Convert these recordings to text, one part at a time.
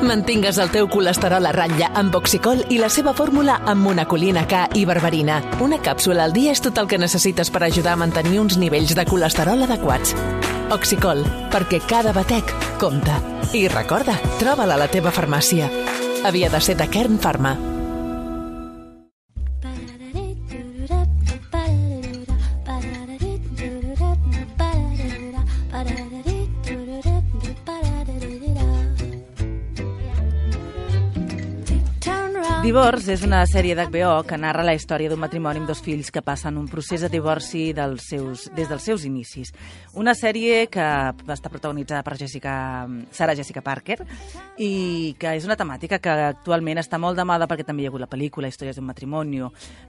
Mantingues el teu colesterol a ratlla amb Oxicol i la seva fórmula amb monacolina K i berberina. Una càpsula al dia és tot el que necessites per ajudar a mantenir uns nivells de colesterol adequats. Oxicol, perquè cada batec compta. I recorda, troba-la a la teva farmàcia. Havia de ser de Kern Pharma. Divorce és una sèrie d'HBO que narra la història d'un matrimoni amb dos fills que passen un procés de divorci des dels seus inicis. Una sèrie que està protagonitzada per Sarah Jessica Parker i que és una temàtica que actualment està molt de moda perquè també hi ha hagut la pel·lícula Històries d'un matrimoni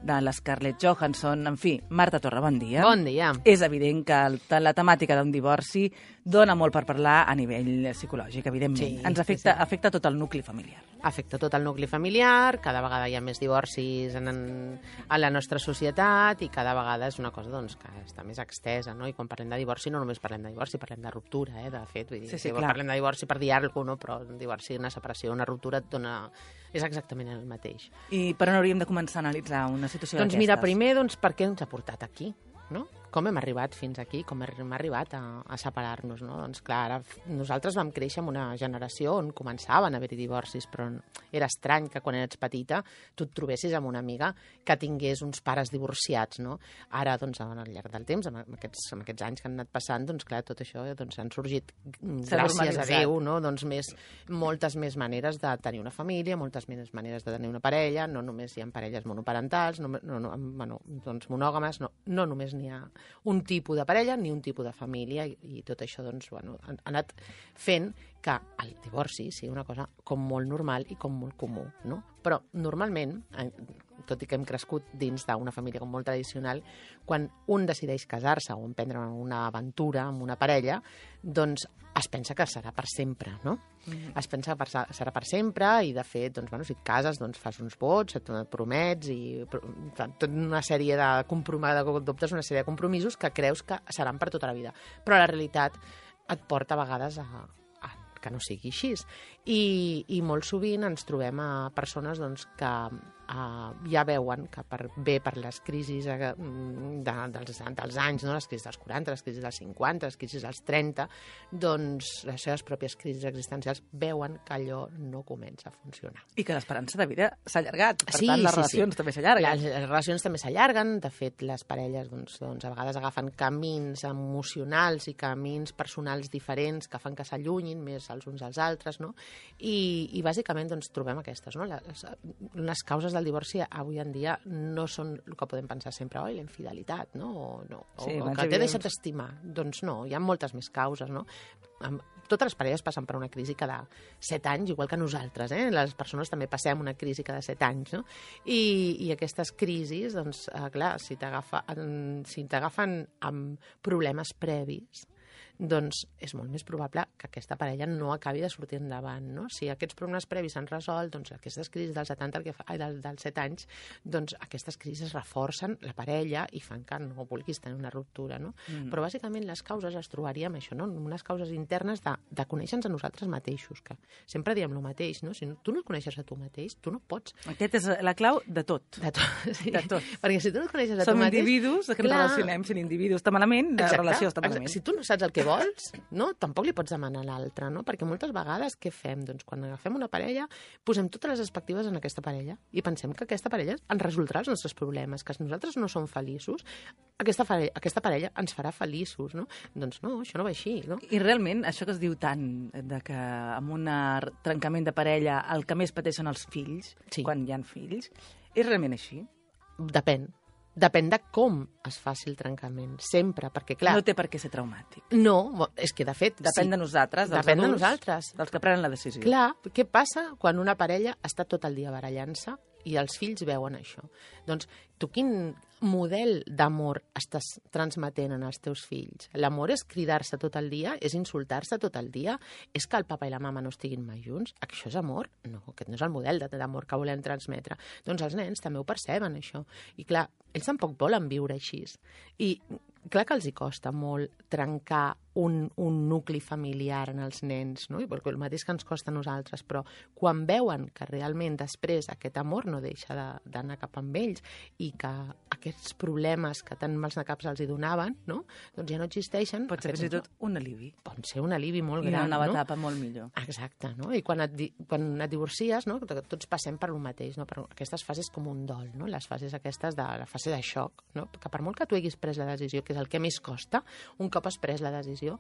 de la Scarlett Johansson. En fi, Marta Torra, bon dia. Bon dia. És evident que la temàtica d'un divorci dona molt per parlar a nivell psicològic, evidentment. Sí, ens afecta tot el nucli familiar. Afecta tot el nucli familiar, cada vegada hi ha més divorcis a la nostra societat i cada vegada és una cosa doncs, que està més extesa, no? I quan parlem de divorci no només parlem de divorci, parlem de ruptura, de fet. Vull dir, sí, clar. Parlem de divorci per dir alguna cosa, no? Però un divorci, una separació, una ruptura és exactament el mateix. I per on hauríem de començar a analitzar una situació d'aquestes? Doncs mira, primer, per què ens ha portat aquí? No? Com hem arribat fins aquí, com hem arribat a separar-nos, no? Doncs clar, ara nosaltres vam créixer en una generació on començaven a haver-hi divorcis, però era estrany que quan eres petita tu et trobessis amb una amiga que tingués uns pares divorciats, no? Ara, doncs, al llarg del temps, amb aquests anys que han anat passant, doncs clar, tot això han sorgit, gràcies a Déu, no? Doncs moltes més maneres de tenir una família, moltes més maneres de tenir una parella, no només hi ha parelles monoparentals, doncs monògames, no només n'hi ha un tipus de parella ni un tipus de família i tot això doncs, ha anat fent que el divorci sigui una cosa com molt normal i com molt comú, no? Però normalment, tot i que hem crescut dins d'una família com molt tradicional, quan un decideix casar-se o emprendre una aventura amb una parella, doncs es pensa que serà per sempre, no? Es pensa que serà per sempre i, de fet, doncs, si et cases, doncs fas uns vots, et promets i tota una sèrie d'adoptes una sèrie de compromisos que creus que seran per tota la vida. Però la realitat et porta a vegades a que no sigui així. I molt sovint ens trobem a persones doncs, que ja veuen que per les crisis dels anys, no? Les crisis dels 40, les crisis dels 50, les crisis dels 30, doncs les seves pròpies crisis existencials veuen que allò no comença a funcionar. I que l'esperança de vida s'ha allargat, per tant les relacions també s'allarguen. Les relacions també s'allarguen, de fet les parelles doncs, a vegades agafen camins emocionals i camins personals diferents que fan que s'allunyin més els uns als altres, no? I bàsicament doncs, trobem aquestes, no? Les causes del divorci avui en dia no són el que podem pensar sempre, la infidelitat, no? O que t'he deixat estimar. Doncs no, hi ha moltes més causes, no? Totes les parelles passen per una crisi cada 7 anys, igual que nosaltres, Les persones també passem una crisi cada 7 anys, no? I aquestes crisis, doncs, clar, si t'agafen amb problemes previs, doncs és molt més probable que aquesta parella no acabi de sortir endavant, no? Si aquests problemes previs s'han resolt, doncs aquestes crisis dels 7 anys, doncs aquestes crisis reforcen la parella i fan que no vulguis tenir una ruptura, no? Però bàsicament les causes les trobaríem això, no? Unes causes internes de conèixer-nos a nosaltres mateixos, que sempre diem el mateix, no? Si tu no et coneixes a tu mateix, tu no pots. Aquesta és la clau de tot. De tot, sí. De tot. Perquè si tu no et coneixes a tu mateix... Som individus, que ens relacionem sent individus. Està malament, la relació està malament. Si tu no saps el que vols, no? Tampoc li pots demanar a l'altre, no? Perquè moltes vegades què fem? Doncs quan agafem una parella, posem totes les expectatives en aquesta parella i pensem que aquesta parella ens resoldrà els nostres problemes, que nosaltres no som feliços, aquesta parella ens farà feliços, no? Doncs no, això no va així, no? I realment, això que es diu tant, de que amb un trencament de parella el que més pateixen els fills, quan hi ha fills, és realment així? Depèn de com es faci el trencament, sempre, perquè clar... No té per què ser traumàtic. No, és que de fet... Depèn de nosaltres, dels adults, dels que prenen la decisió. Clar, què passa quan una parella està tot el dia barallant-se i els fills veuen això? Doncs tu quin model d'amor estàs transmetent als teus fills? L'amor és cridar-se tot el dia? És insultar-se tot el dia? És que el papa i la mama no estiguin mai junts? Això és amor? No, aquest no és el model d'amor que volem transmetre. Doncs els nens també ho perceben, això. I clar, ells tampoc volen viure així. I clar que els hi costa molt trencar un nucli familiar en els nens, no? I perquè el mateix que ens costa a nosaltres, però quan veuen que realment després aquest amor no deixa d'anar cap amb ells i que aquests problemes que tan mals de caps els hi donaven, no? Doncs ja no existeixen. Pot ser fins i tot un alivi. Pot ser un alivi molt I gran, una nova etapa molt millor. Exacte, no? I quan et divorcies, no? Tots passem per el mateix, no? Per aquestes fases com un dol, no? Les fases aquestes de la fase de xoc, no? Que per molt que tu haguis pres la decisió, que és el que més costa, un cop has pres la decisió,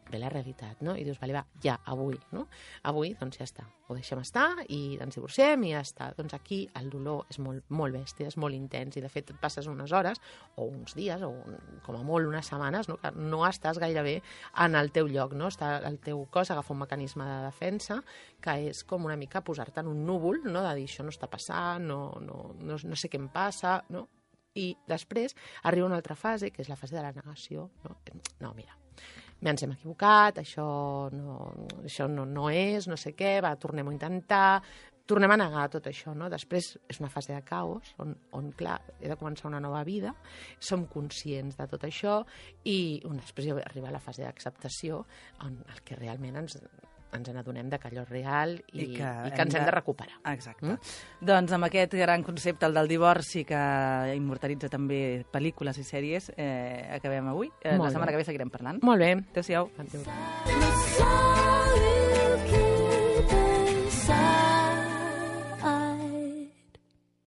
ve la realitat, no? I dius, vale, va, ja, avui, no? Avui, doncs ja està. Ho deixem estar i ens divorciem i ja està. Doncs aquí el dolor és molt, molt bèstia, és molt intens i de fet et passes unes hores o uns dies o com a molt unes setmanes, no? Que no estàs gaire bé en el teu lloc, no? El teu cos agafa un mecanisme de defensa que és com una mica posar-te en un núvol, no? De dir, això no està passant, no sé què em passa, no? I després arriba una altra fase, que és la fase de la negació, no? No, mira, ens hem equivocat, això no és, no sé què, va, tornem a intentar, tornem a negar tot això, no? Després és una fase de caos on clar, he de començar una nova vida, som conscients de tot això i després arriba la fase d'acceptació on el que realment ens n'adonem que allò és real i que ens hem de recuperar. Exacte. Doncs amb aquest gran concepte, el del divorci, que immortalitza també pel·lícules i sèries, acabem avui. La setmana que ve seguirem parlant. Molt bé. Adéu-siau. Adéu.